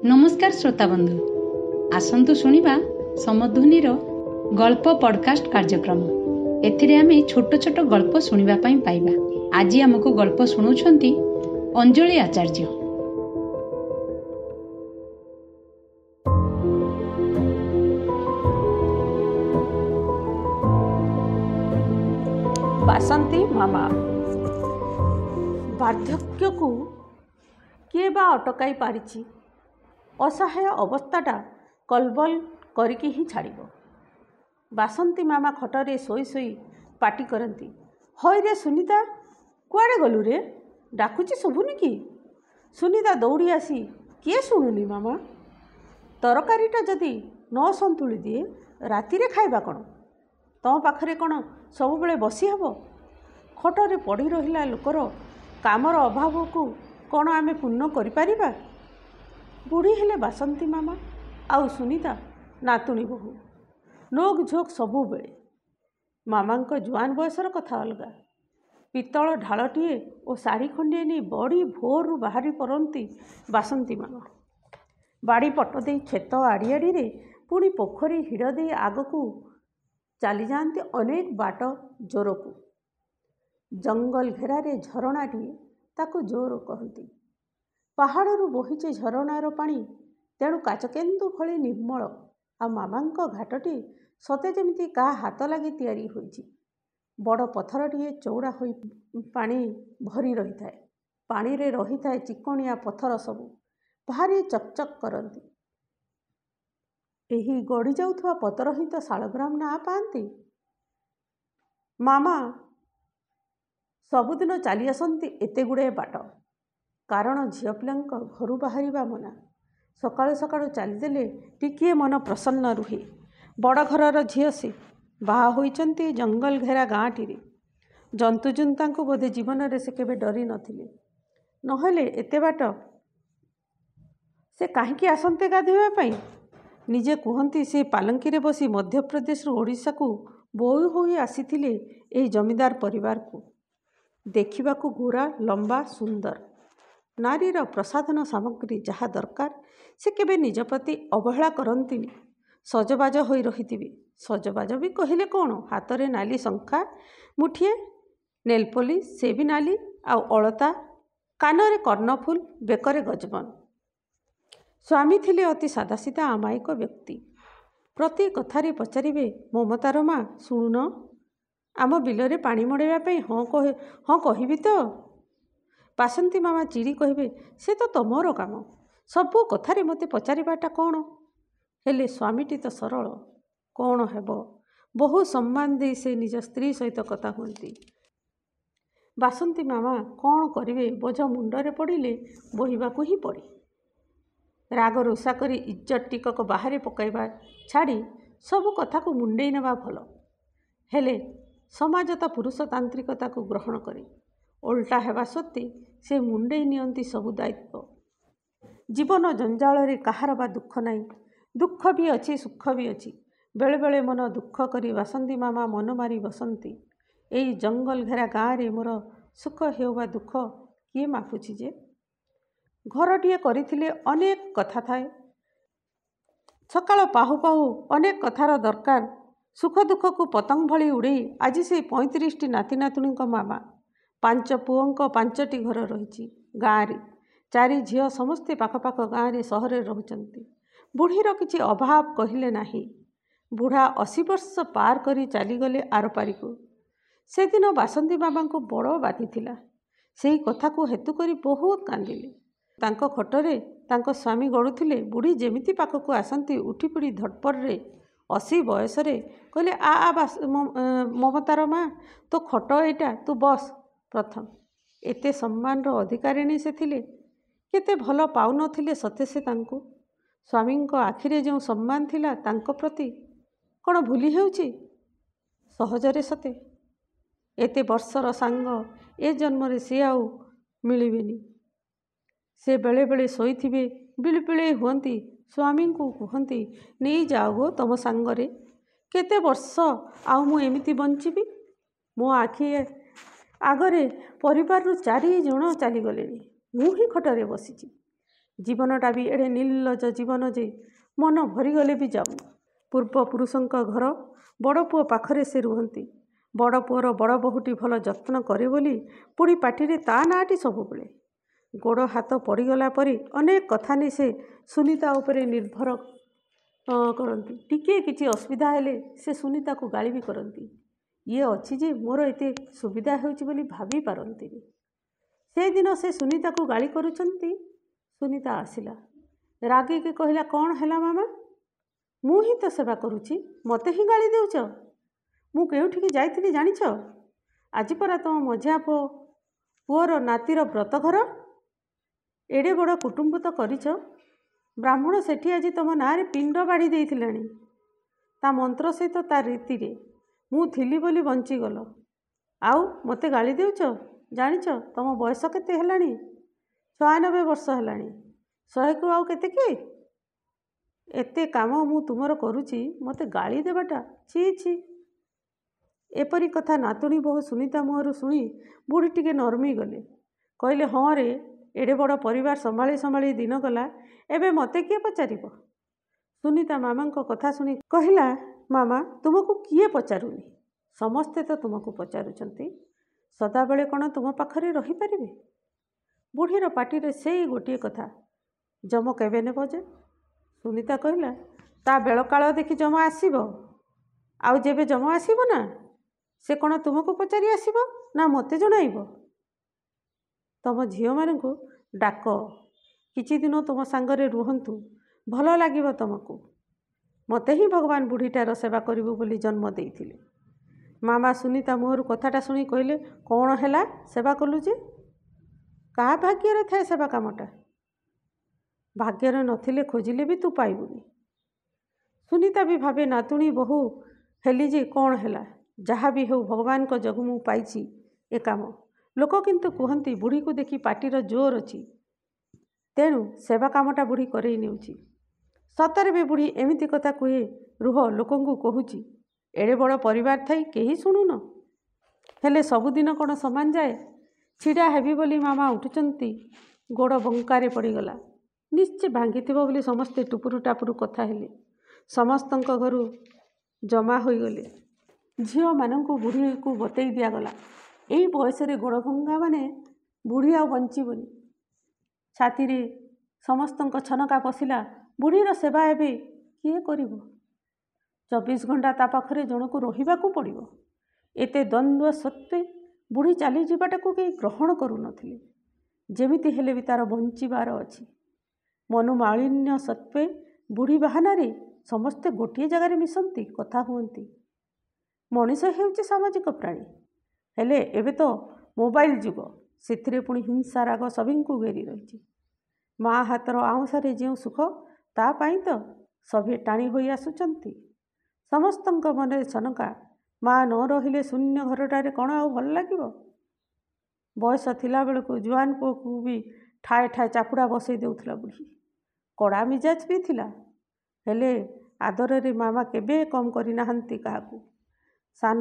ନମସ୍କାର ଶ୍ରୋତାବନ୍ଧୁ, ଆସନ୍ତୁ ଶୁଣିବା ସମଧ୍ୱନିର ଗଳ୍ପ ପଡକାଷ୍ଟ କାର୍ଯ୍ୟକ୍ରମ। ଏଥିରେ ଆମେ ଛୋଟ ଛୋଟ ଗଳ୍ପ ଶୁଣିବା ପାଇଁ ପାଇବା। ଆଜି ଆମକୁ ଗଳ୍ପ ଶୁଣାଉଛନ୍ତି ଅଞ୍ଜଳି ଆଚାର୍ଯ୍ୟ। ବାସନ୍ତୀ ମାମା। ବାର୍ଦ୍ଧକ୍ୟକୁ କିଏ ବା ଅଟକାଇ ପାରିଛି? ଅସହାୟ ଅବସ୍ଥାଟା କଲବଲ କରିକି ହିଁ ଛାଡ଼ିବ। ବାସନ୍ତୀ ମାମା ଖଟରେ ଶୋଇ ଶୋଇ ପାଟି କରନ୍ତି, ହଇରେ ସୁନିତା, କୁଆଡ଼େ ଗଲୁ ରେ? ଡାକୁଛି ଶୁଭୁନି କି? ସୁନିତା ଦୌଡ଼ି ଆସି, କିଏ ଶୁଣୁନି ମାମା? ତରକାରୀଟା ଯଦି ନ ସନ୍ତୁଳି ଦିଏ ରାତିରେ ଖାଇବା କ'ଣ? ତମ ପାଖରେ କ'ଣ ସବୁବେଳେ ବସି ହେବ? ଖଟରେ ପଡ଼ି ରହିଲା ଲୋକର କାମର ଅଭାବକୁ କ'ଣ ଆମେ ପୂର୍ଣ୍ଣ କରିପାରିବା? ବୁଢ଼ୀ ହେଲେ ବାସନ୍ତୀ ମାମା ଆଉ ସୁନିତା ନାତୁଣୀ ବୋହୂ, ନୋକ ଝୋକ ସବୁବେଳେ। ମାମାଙ୍କ ଜୁଆନ ବୟସର କଥା ଅଲଗା। ପିତ୍ତଳ ଢାଳଟିଏ ଓ ଶାଢ଼ୀ ଖଣ୍ଡିଏ ନେଇ ବଡ଼ି ଭୋରରୁ ବାହାରି ପଡ଼ନ୍ତି ବାସନ୍ତୀ ମାମା। ବାଡ଼ି ପଟ ଦେଇ କ୍ଷେତ ଆଡ଼ିଆଡ଼ିରେ, ପୁଣି ପୋଖରୀ ହିଡ଼ ଦେଇ ଆଗକୁ ଚାଲିଯାଆନ୍ତି ଅନେକ ବାଟ ଜୋରକୁ। ଜଙ୍ଗଲ ଘେରାରେ ଝରଣାଟିଏ, ତାକୁ ଜୋର କହନ୍ତି। ପାହାଡ଼ରୁ ବୋହିଛି ଝରଣାର ପାଣି, ତେଣୁ କାଚକେନ୍ଦୁ ଭଳି ନିର୍ମଳ। ଆଉ ମାମାଙ୍କ ଘାଟଟି ସତେ ଯେମିତି କାହା ହାତ ଲାଗି ତିଆରି ହୋଇଛି। ବଡ଼ ପଥରଟିଏ ଚଉଡ଼ା ହୋଇ ପାଣି ଭରି ରହିଥାଏ। ପାଣିରେ ରହିଥାଏ ଚିକଣିଆ ପଥର ସବୁ, ଭାରି ଚକଚକ୍ କରନ୍ତି। ଏହି ଗଡ଼ି ଯାଉଥିବା ପଥର ହିଁ ତ ଶାଳଗ୍ରାମ ନାଁ ପାଆନ୍ତି। ମାମା ସବୁଦିନ ଚାଲି ଆସନ୍ତି ଏତେ ଗୁଡ଼ାଏ ବାଟ, କାରଣ ଝିଅ ପିଲାଙ୍କ ଘରୁ ବାହାରିବା ମନା। ସକାଳୁ ସକାଳୁ ଚାଲିଦେଲେ ଟିକିଏ ମନ ପ୍ରସନ୍ନ ରୁହେ। ବଡ଼ ଘରର ଝିଅ ସେ, ବାହା ହୋଇଛନ୍ତି ଜଙ୍ଗଲ ଘେରା ଗାଁଟିରେ। ଜନ୍ତୁଜୁନ୍ତାଙ୍କୁ ବୋଧେ ଜୀବନରେ ସେ କେବେ ଡରି ନଥିଲେ, ନହେଲେ ଏତେ ବାଟ ସେ କାହିଁକି ଆସନ୍ତେ ଗାଧୋଇବା ପାଇଁ? ନିଜେ କୁହନ୍ତି ସେ ପାଲଙ୍କିରେ ବସି ମଧ୍ୟପ୍ରଦେଶରୁ ଓଡ଼ିଶାକୁ ବୋହୂ ହୋଇ ଆସିଥିଲେ ଏହି ଜମିଦାର ପରିବାରକୁ। ଦେଖିବାକୁ ଗୋରା, ଲମ୍ବା, ସୁନ୍ଦର। ନାରୀର ପ୍ରସାଧନ ସାମଗ୍ରୀ ଯାହା ଦରକାର ସେ କେବେ ନିଜ ପ୍ରତି ଅବହେଳା କରନ୍ତିନି। ସଜବାଜ ହୋଇ ରହିଥିବେ। ସଜବାଜ ବି କହିଲେ କ'ଣ, ହାତରେ ନାଲି ଶଙ୍ଖା ମୁଠିଏ, ନେଲପୋଲିସ ସେ ବି ନାଲି, ଆଉ ଅଳତା, କାନରେ କର୍ଣ୍ଣଫୁଲ, ବେକରେ ଗଜବନ। ସ୍ୱାମୀ ଥିଲେ ଅତି ସାଦାସିଧା ଅମାୟିକ ବ୍ୟକ୍ତି। ପ୍ରତି କଥାରେ ପଚାରିବେ, ମମତାର ମା ଶୁଣୁନ, ଆମ ବିଲରେ ପାଣି ମଡ଼ାଇବା ପାଇଁ ହଁ କହିବି ତ? ବାସନ୍ତୀ ମାମା ଚିଡ଼ି କହିବେ, ସେ ତ ତମର କାମ, ସବୁ କଥାରେ ମୋତେ ପଚାରିବାଟା କ'ଣ? ହେଲେ ସ୍ୱାମୀଟି ତ ସରଳ, କ'ଣ ହେବ? ବହୁ ସମ୍ମାନ ଦେଇ ସେ ନିଜ ସ୍ତ୍ରୀ ସହିତ କଥା ହୁଅନ୍ତି। ବାସନ୍ତୀ ମାମା କ'ଣ କରିବେ, ବୋଝ ମୁଣ୍ଡରେ ପଡ଼ିଲେ ବୋହିବାକୁ ହିଁ ପଡ଼େ। ରାଗ ରୁଷା କରି ଇଜ୍ଜତ ଟିକକ ବାହାରେ ପକାଇବା ଛାଡ଼ି ସବୁ କଥାକୁ ମୁଣ୍ଡେଇ ନେବା ଭଲ। ହେଲେ ସମାଜ ତ ପୁରୁଷତାନ୍ତ୍ରିକତାକୁ ଗ୍ରହଣ କରେ। ଓଲଟା ହେବା ସତ୍ତ୍ୱେ ସେ ମୁଣ୍ଡେଇ ନିଅନ୍ତି ସବୁ ଦାୟିତ୍ୱ। ଜୀବନ ଜଞ୍ଜାଳରେ କାହାର ବା ଦୁଃଖ ନାହିଁ? ଦୁଃଖ ବି ଅଛି, ସୁଖ ବି ଅଛି। ବେଳେବେଳେ ମନ ଦୁଃଖ କରି ବାସନ୍ତୀ ମାମା ମନ ମାରି ବସନ୍ତି। ଏଇ ଜଙ୍ଗଲ ଘେରା ଗାଁରେ ମୋର ସୁଖ ହେଉ ବା ଦୁଃଖ କିଏ ମାପୁଛି ଯେ? ଘରଟିଏ କରିଥିଲେ ଅନେକ କଥା ଥାଏ। ସକାଳ ପାହୁ ପାହୁ ଅନେକ କଥାର ଦରକାର। ସୁଖ ଦୁଃଖକୁ ପତଙ୍ଗ ଭଳି ଉଡ଼େଇ ଆଜି ସେଇ 35ଟି ନାତି ନାତୁଣୀଙ୍କ ମାମା। 5 ପୁଅଙ୍କ 5ଟି ଘର ରହିଛି ଗାଁରେ। 4 ଝିଅ ସମସ୍ତେ ପାଖପାଖ ଗାଁରେ ସହରରେ ରହୁଛନ୍ତି। ବୁଢ଼ୀର କିଛି ଅଭାବ କହିଲେ ନାହିଁ। ବୁଢ଼ା 80 ବର୍ଷ ପାର କରି ଚାଲିଗଲେ ଆରପାରିକୁ। ସେଦିନ ବାସନ୍ତୀ ବାବାଙ୍କୁ ବଡ଼ ବାଧିଥିଲା। ସେଇ କଥାକୁ ହେତୁ କରି ବହୁତ କାନ୍ଦିଲେ। ତାଙ୍କ ଖଟରେ ତାଙ୍କ ସ୍ୱାମୀ ଗଡ଼ୁଥିଲେ। ବୁଢ଼ୀ ଯେମିତି ପାଖକୁ ଆସନ୍ତି ଉଠିପଡ଼ି ଧଡ଼ପଡ଼ରେ 80 ବୟସରେ କହିଲେ, ଆ ଆ ମମତାର ମା, ତୋ ଖଟ ଏଇଟା, ତୁ ବସ୍ ପ୍ରଥମ। ଏତେ ସମ୍ମାନର ଅଧିକାରିଣୀ ସେ ଥିଲେ। କେତେ ଭଲ ପାଉନଥିଲେ ସତେ ସେ ତାଙ୍କୁ। ସ୍ୱାମୀଙ୍କ ଆଖିରେ ଯେଉଁ ସମ୍ମାନ ଥିଲା ତାଙ୍କ ପ୍ରତି, କ'ଣ ଭୁଲି ହେଉଛି ସହଜରେ ସତେ? ଏତେ ବର୍ଷର ସାଙ୍ଗ ଏ ଜନ୍ମରେ ସେ ଆଉ ମିଳିବେନି। ସେ ବେଳେବେଳେ ଶୋଇଥିବେ, ବିଳିବିଳେଇ ହୁଅନ୍ତି। ସ୍ୱାମୀଙ୍କୁ କୁହନ୍ତି, ନେଇଯାଅ ଗୋ ତମ ସାଙ୍ଗରେ, କେତେ ବର୍ଷ ଆଉ ମୁଁ ଏମିତି ବଞ୍ଚିବି? ମୋ ଆଖି ଆଗରେ ପରିବାରରୁ 4 ଜଣ ଚାଲିଗଲେଣି, ମୁଁ ହିଁ ଖଟରେ ବସିଛି। ଜୀବନଟା ବି ଏଡ଼େ ନିର୍ଲଜ୍ଜ ଜୀବନ ଯେ ମନ ଭରିଗଲେ ବି ଯାଉନି। ପୂର୍ବପୁରୁଷଙ୍କ ଘର ବଡ଼ ପୁଅ ପାଖରେ ସେ ରୁହନ୍ତି। ବଡ଼ ପୁଅର ବଡ଼ ବୋହୂଟି ଭଲ ଯତ୍ନ କରେ ବୋଲି ବୁଢ଼ୀ ପାଟିରେ ତା ନାଁଟି ସବୁବେଳେ। ଗୋଡ଼ ହାତ ପଡ଼ିଗଲା ପରି ଅନେକ କଥା ନେଇ ସେ ସୁନୀତା ଉପରେ ନିର୍ଭର କରନ୍ତି। ଟିକିଏ କିଛି ଅସୁବିଧା ହେଲେ ସେ ସୁନୀତାକୁ ଗାଳି ବି କରନ୍ତି। ଇଏ ଅଛି ଯେ ମୋର ଏତେ ସୁବିଧା ହେଉଛି ବୋଲି ଭାବି ପାରନ୍ତିନି। ସେଦିନ ସେ ସୁନୀତାକୁ ଗାଳି କରୁଛନ୍ତି, ସୁନୀତା ଆସିଲା। ରାଗିକି କହିଲା, କ'ଣ ହେଲା ମାମା? ମୁଁ ହିଁ ତ ସେବା କରୁଛି, ମୋତେ ହିଁ ଗାଳି ଦେଉଛ? ମୁଁ କେଉଁଠିକି ଯାଇଥିଲି ଜାଣିଛ? ଆଜି ପରା ତୁମ ମଝିଆ ପୁଅର ନାତିର ବ୍ରତଘର। ଏଡ଼େ ବଡ଼ କୁଟୁମ୍ବ ତ କରିଛ, ବ୍ରାହ୍ମଣ ସେଠି ଆଜି ତୁମ ନାଁରେ ପିଣ୍ଡ ବାଢ଼ି ଦେଇଥିଲାଣି, ତା ମନ୍ତ୍ର ସହିତ ତା ରୀତିରେ। ମୁଁ ଥିଲି ବୋଲି ବଞ୍ଚିଗଲ, ଆଉ ମୋତେ ଗାଳି ଦେଉଛ? ଜାଣିଛ ତୁମ ବୟସ କେତେ ହେଲାଣି? 96 ବର୍ଷ ହେଲାଣି। 100କୁ ଆଉ କେତେ କି? ଏତେ କାମ ମୁଁ ତୁମର କରୁଛି, ମୋତେ ଗାଳି ଦେବାଟା ଛି ଛି। ଏପରି କଥା ନାତୁଣୀ ବୋହୂ ସୁନୀତା ମୁହଁରୁ ଶୁଣି ବୁଢ଼ୀ ଟିକେ ନରମି ଗଲେ। କହିଲେ, ହଁ ରେ, ଏଡ଼େ ବଡ଼ ପରିବାର ସମ୍ଭାଳି ସମ୍ଭାଳି ଦିନ ଗଲା, ଏବେ ମୋତେ କିଏ ପଚାରିବ? ସୁନୀତା ମାମାଙ୍କ କଥା ଶୁଣି କହିଲା, ମାମା, ତୁମକୁ କିଏ ପଚାରୁନି? ସମସ୍ତେ ତ ତୁମକୁ ପଚାରୁଛନ୍ତି। ସଦାବେଳେ କ'ଣ ତୁମ ପାଖରେ ରହିପାରିବେ? ବୁଢ଼ୀର ପାଟିରେ ସେଇ ଗୋଟିଏ କଥା, ଯମ କେବେ ନେବ ଯେ? ସୁନୀତା କହିଲା, ତା ବେଳକାଳ ଦେଖି ଯମ ଆସିବ। ଆଉ ଯେବେ ଯମ ଆସିବ ନା, ସେ କ'ଣ ତୁମକୁ ପଚାରି ଆସିବ ନା ମୋତେ ଜଣାଇବ? ତମ ଝିଅମାନଙ୍କୁ ଡାକ, କିଛି ଦିନ ତୁମ ସାଙ୍ଗରେ ରୁହନ୍ତୁ, ଭଲ ଲାଗିବ ତୁମକୁ। ମୋତେ ହିଁ ଭଗବାନ ବୁଢ଼ୀଟାର ସେବା କରିବୁ ବୋଲି ଜନ୍ମ ଦେଇଥିଲେ। ମାମା ସୁନୀତା ମୁହଁରୁ କଥାଟା ଶୁଣି କହିଲେ, କ'ଣ ହେଲା ସେବା କଲୁ ଯେ? କାହା ଭାଗ୍ୟରେ ଥାଏ ସେବା କାମଟା? ଭାଗ୍ୟରେ ନଥିଲେ ଖୋଜିଲେ ବି ତୁ ପାଇବୁନି। ସୁନୀତା ବି ଭାବେ, ନାତୁଣୀ ବୋହୂ ହେଲି ଯେ କ'ଣ ହେଲା? ଯାହା ବି ହେଉ ଭଗବାନଙ୍କ ଯୋଗୁଁ ମୁଁ ପାଇଛି ଏ କାମ। ଲୋକ କିନ୍ତୁ କୁହନ୍ତି ବୁଢ଼ୀକୁ ଦେଖି ପାଟିର ଜୋର ଅଛି, ତେଣୁ ସେବା କାମଟା ବୁଢ଼ୀ କରେଇ ନେଉଛି। ସତରେ ବି ବୁଢ଼ୀ ଏମିତି କଥା କୁହେ, ରୁହ ଲୋକଙ୍କୁ କହୁଛି, ଏଡ଼େ ବଡ଼ ପରିବାର ଥାଇ କେହି ଶୁଣୁନ। ହେଲେ ସବୁଦିନ କ'ଣ ସମାନ ଯାଏ? ଛିଡ଼ା ହେବି ବୋଲି ମାମା ଉଠୁଛନ୍ତି, ଗୋଡ଼ ବଙ୍କାରେ ପଡ଼ିଗଲା। ନିଶ୍ଚେ ଭାଙ୍ଗିଥିବ ବୋଲି ସମସ୍ତେ ଟୁପୁରୁ ଟାପୁରୁ କଥା ହେଲେ। ସମସ୍ତଙ୍କ ଘରୁ ଜମା ହୋଇଗଲେ। ଝିଅମାନଙ୍କୁ ବୁଢ଼ୀକୁ ବତେଇ ଦିଆଗଲା, ଏଇ ବୟସରେ ଗୋଡ଼ ଭଙ୍ଗା ମାନେ ବୁଢ଼ୀ ଆଉ ବଞ୍ଚିବନି। ଛାତିରେ ସମସ୍ତଙ୍କ ଛନକା ପଶିଲା, ବୁଢ଼ୀର ସେବା ଏବେ କିଏ କରିବ? 24 ଘଣ୍ଟା ତା ପାଖରେ ଜଣକୁ ରହିବାକୁ ପଡ଼ିବ। ଏତେ ଦ୍ୱନ୍ଦ୍ୱ ସତ୍ତ୍ୱେ ବୁଢ଼ୀ ଚାଲିଯିବାଟାକୁ କେହି ଗ୍ରହଣ କରୁନଥିଲେ। ଯେମିତି ହେଲେ ବି ତା'ର ବଞ୍ଚିବାର ଅଛି। ମନୋମାଳିନ୍ୟ ସତ୍ତ୍ୱେ ବୁଢ଼ୀ ବାହାନାରେ ସମସ୍ତେ ଗୋଟିଏ ଜାଗାରେ ମିଶନ୍ତି, କଥା ହୁଅନ୍ତି। ମଣିଷ ହେଉଛି ସାମାଜିକ ପ୍ରାଣୀ। ହେଲେ ଏବେ ତ ମୋବାଇଲ ଯୁଗ, ସେଥିରେ ପୁଣି ହିଂସା ରାଗ ସଭିଙ୍କୁ ଘେରି ରହିଛି। ମା ହାତର ଆଉଁସାରେ ଯେଉଁ ସୁଖ, ତା ପାଇଁ ତ ସଭିଏ ଟାଣି ହୋଇ ଆସୁଛନ୍ତି। ସମସ୍ତଙ୍କ ମନରେ ଛନକା, ମା ନ ରହିଲେ ଶୂନ୍ୟ ଘରଟାରେ କ'ଣ ଆଉ ଭଲ ଲାଗିବ? ବୟସ ଥିଲାବେଳକୁ ଜୁଆନ ପୁଅକୁ ବି ଠାଏ ଠାଏ ଚାପୁଡ଼ା ବସେଇ ଦେଉଥିଲା ବୁଢ଼ୀ। କଡ଼ା ମିଜାଜ ବି ଥିଲା, ହେଲେ ଆଦରରେ ମାମା କେବେ କମ୍ କରିନାହାନ୍ତି କାହାକୁ। ସାନ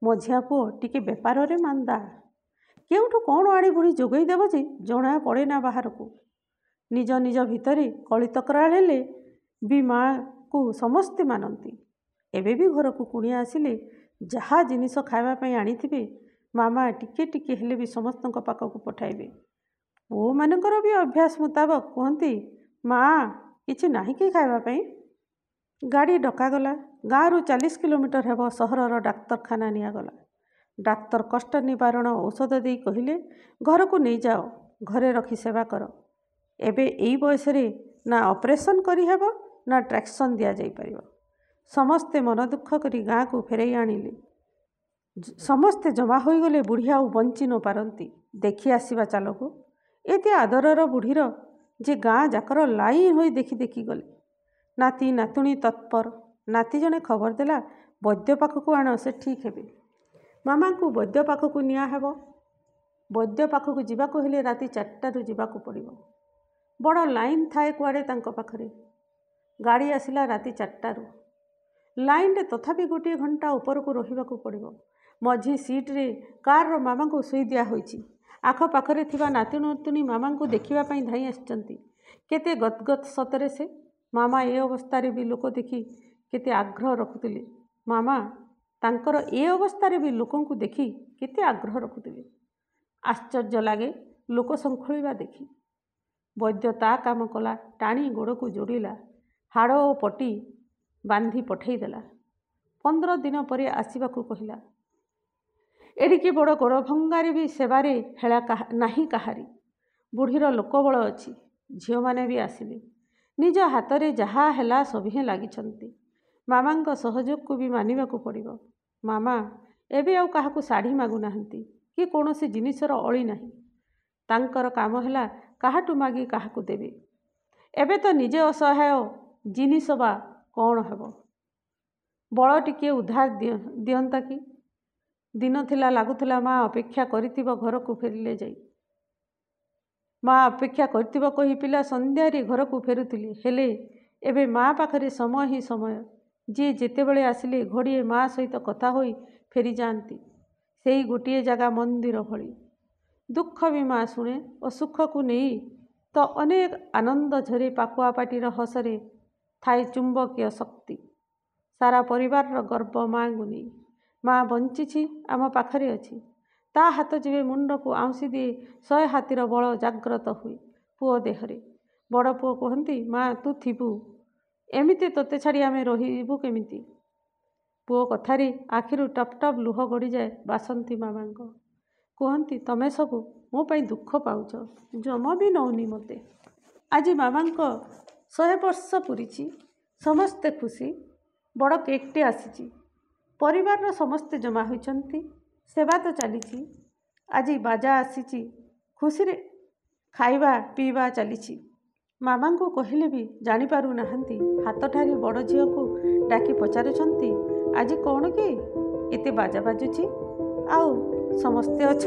ମଝିଆ ପୁଅ ଟିକେ ବେପାରରେ ମାନ୍ଦା। କେଉଁଠୁ କ'ଣ ଆଣି ବୁଢ଼ୀ ଯୋଗାଇ ଦେବ ଯେ ଜଣା ପଡ଼େ ନା ବାହାରକୁ। ନିଜ ନିଜ ଭିତରେ କଳି ତକରାର ହେଲେ ବି ମାଆକୁ ସମସ୍ତେ ମାନନ୍ତି। ଏବେ ବି ଘରକୁ କୁଣିଆ ଆସିଲେ ଯାହା ଜିନିଷ ଖାଇବା ପାଇଁ ଆଣିଥିବେ, ମାମା ଟିକେ ଟିକେ ହେଲେ ବି ସମସ୍ତଙ୍କ ପାଖକୁ ପଠାଇବେ। ପୁଅମାନଙ୍କର ବି ଅଭ୍ୟାସ ମୁତାବକ କୁହନ୍ତି, ମା କିଛି ନାହିଁ କି ଖାଇବା ପାଇଁ? ଗାଡ଼ି ଡକାଗଲା। ଗାଁରୁ 40 କିଲୋମିଟର ହେବ ସହରର ଡାକ୍ତରଖାନା ନିଆଗଲା। ଡାକ୍ତର କଷ୍ଟ ନିବାରଣ ଔଷଧ ଦେଇ କହିଲେ, ଘରକୁ ନେଇଯାଅ, ଘରେ ରଖି ସେବା କର। ଏବେ ଏଇ ବୟସରେ ନା ଅପରେସନ୍ କରିହେବ ନା ଟ୍ରାକ୍ସନ୍ ଦିଆଯାଇପାରିବ। ସମସ୍ତେ ମନ ଦୁଃଖ କରି ଗାଁକୁ ଫେରାଇ ଆଣିଲେ। ସମସ୍ତେ ଜମା ହୋଇଗଲେ ବୁଢ଼ୀ ଆଉ ବଞ୍ଚି ନ ପାରନ୍ତି, ଦେଖି ଆସିବା ଚାଲକୁ। ଏତେ ଆଦରର ବୁଢ଼ୀର ଯେ ଗାଁ ଯାକର ଲାଇନ୍ ହୋଇ ଦେଖି ଦେଖି ଗଲେ। ନାତି ନାତୁଣୀ ତତ୍ପର। ନାତି ଜଣେ ଖବର ଦେଲା, ବୈଦ୍ୟ ପାଖକୁ ଆଣ, ସେ ଠିକ୍ ହେବେ। ମାମାଙ୍କୁ ବୈଦ୍ୟ ପାଖକୁ ନିଆହେବ। ବୈଦ୍ୟ ପାଖକୁ ଯିବାକୁ ହେଲେ ରାତି 4ଟାରୁ ଯିବାକୁ ପଡ଼ିବ। ବଡ଼ ଲାଇନ୍ ଥାଏ କୁଆଡ଼େ ତାଙ୍କ ପାଖରେ। ଗାଡ଼ି ଆସିଲା ରାତି 4ଟାରୁ। ଲାଇନ୍ରେ ତଥାପି 1 ଘଣ୍ଟା ଉପରକୁ ରହିବାକୁ ପଡ଼ିବ। ମଝି ସିଟ୍ରେ କାର୍ର ମାମାଙ୍କୁ ଶୋଇ ଦିଆହୋଇଛି। ଆଖପାଖରେ ଥିବା ନାତି ନାତୁଣୀ ମାମାଙ୍କୁ ଦେଖିବା ପାଇଁ ଧାଇଁ ଆସିଛନ୍ତି। କେତେ ଗଦ୍ଗଦ୍ ସତରେ ସେ। ମାମା ଏ ଅବସ୍ଥାରେ ବି ଲୋକ ଦେଖି କେତେ ଆଗ୍ରହ ରଖୁଥିଲେ। ମାମା ତାଙ୍କର ଏ ଅବସ୍ଥାରେ ବି ଲୋକଙ୍କୁ ଦେଖି କେତେ ଆଗ୍ରହ ରଖୁଥିଲେ। ଆଶ୍ଚର୍ଯ୍ୟ ଲାଗେ ଲୋକ ଶଙ୍ଖୁଳିବା ଦେଖି। ବୈଦ୍ୟ ତା କାମ କଲା, ଟାଣି ଗୋଡ଼କୁ ଯୋଡ଼ିଲା, ହାଡ଼ ଓ ପଟି ବାନ୍ଧି ପଠେଇଦେଲା। 15 ଦିନ ପରେ ଆସିବାକୁ କହିଲା। ଏଡ଼ିକି ବଡ଼ ଗୋଡ଼ ଭଙ୍ଗାରେ ବି ସେବାରେ ହେଳା ନାହିଁ କାହାରି। ବୁଢ଼ୀର ଲୋକବଳ ଅଛି, ଝିଅମାନେ ବି ଆସିଲେ। ନିଜ ହାତରେ ଯାହା ହେଲା ସଭିଏଁ ଲାଗିଛନ୍ତି। ମାମାଙ୍କ ସହଯୋଗକୁ ବି ମାନିବାକୁ ପଡ଼ିବ। ମାମା ଏବେ ଆଉ କାହାକୁ ଶାଢ଼ୀ ମାଗୁନାହାନ୍ତି କି କୌଣସି ଜିନିଷର ଅଳି ନାହିଁ। ତାଙ୍କର କାମ ହେଲା କାହାଠୁ ମାଗି କାହାକୁ ଦେବେ। ଏବେ ତ ନିଜେ ଅସହାୟ, ଜିନିଷ ବା କ'ଣ ହେବ? ବଳ ଟିକିଏ ଉଧାର ଦିଅନ୍ତା କି? ଦିନ ଥିଲା ଲାଗୁଥିଲା ମା ଅପେକ୍ଷା କରିଥିବ ଘରକୁ ଫେରିଲେ ଯାଇ। ମା ଅପେକ୍ଷା କରିଥିବ କହି ପିଲା ସନ୍ଧ୍ୟାରେ ଘରକୁ ଫେରୁଥିଲେ। ହେଲେ ଏବେ ମା ପାଖରେ ସମୟ ହିଁ ସମୟ। ଯିଏ ଯେତେବେଳେ ଆସିଲେ ଘଡ଼ିଏ ମା ସହିତ କଥା ହୋଇ ଫେରିଯାଆନ୍ତି। ସେଇ ଗୋଟିଏ ଜାଗା ମନ୍ଦିର ଭଳି। ଦୁଃଖ ବି ମା ଶୁଣେ ଓ ସୁଖକୁ ନେଇ ତ ଅନେକ ଆନନ୍ଦ ଝରେ। ପାକୁଆ ପାଟିର ହସରେ ଥାଏ ଚୁମ୍ବକୀୟ ଶକ୍ତି। ସାରା ପରିବାରର ଗର୍ବ ମାଆଙ୍କୁ ନେଇ। ମା ବଞ୍ଚିଛି, ଆମ ପାଖରେ ଅଛି। ତା ହାତ ଯେବେ ମୁଣ୍ଡକୁ ଆଉଁସି ଦିଏ, 100 ହାତୀର ବଳ ଜାଗ୍ରତ ହୁଏ ପୁଅ ଦେହରେ। ବଡ଼ ପୁଅ କୁହନ୍ତି, ମା ତୁ ଥିବୁ, ଏମିତି ତୋତେ ଛାଡ଼ି ଆମେ ରହିବୁ କେମିତି? ପୁଅ କଥାରେ ଆଖିରୁ ଟପ୍ ଟପ୍ ଲୁହ ଗଡ଼ିଯାଏ ବାସନ୍ତୀ ମାମାଙ୍କ। କୁହନ୍ତି, ତମେ ସବୁ ମୋ ପାଇଁ ଦୁଃଖ ପାଉଛ, ଜମା ବି ନଉନି ମୋତେ। ଆଜି ମାମାଙ୍କ 100 ବର୍ଷ ପୂରିଛି, ସମସ୍ତେ ଖୁସି। ବଡ଼ କେକ୍ଟେ ଆସିଛି, ପରିବାରର ସମସ୍ତେ ଜମା ହୋଇଛନ୍ତି, ସେବା ତ ଚାଲିଛି। ଆଜି ବାଜା ଆସିଛି, ଖୁସିରେ ଖାଇବା ପିଇବା ଚାଲିଛି। ମାମାଙ୍କୁ କହିଲେ ବି ଜାଣିପାରୁନାହାନ୍ତି। ହାତଠାରି ବଡ଼ ଝିଅକୁ ଡାକି ପଚାରୁଛନ୍ତି, ଆଜି କ'ଣ କି ଏତେ ବାଜା ବାଜୁଛି ଆଉ ସମସ୍ତେ ଅଛ?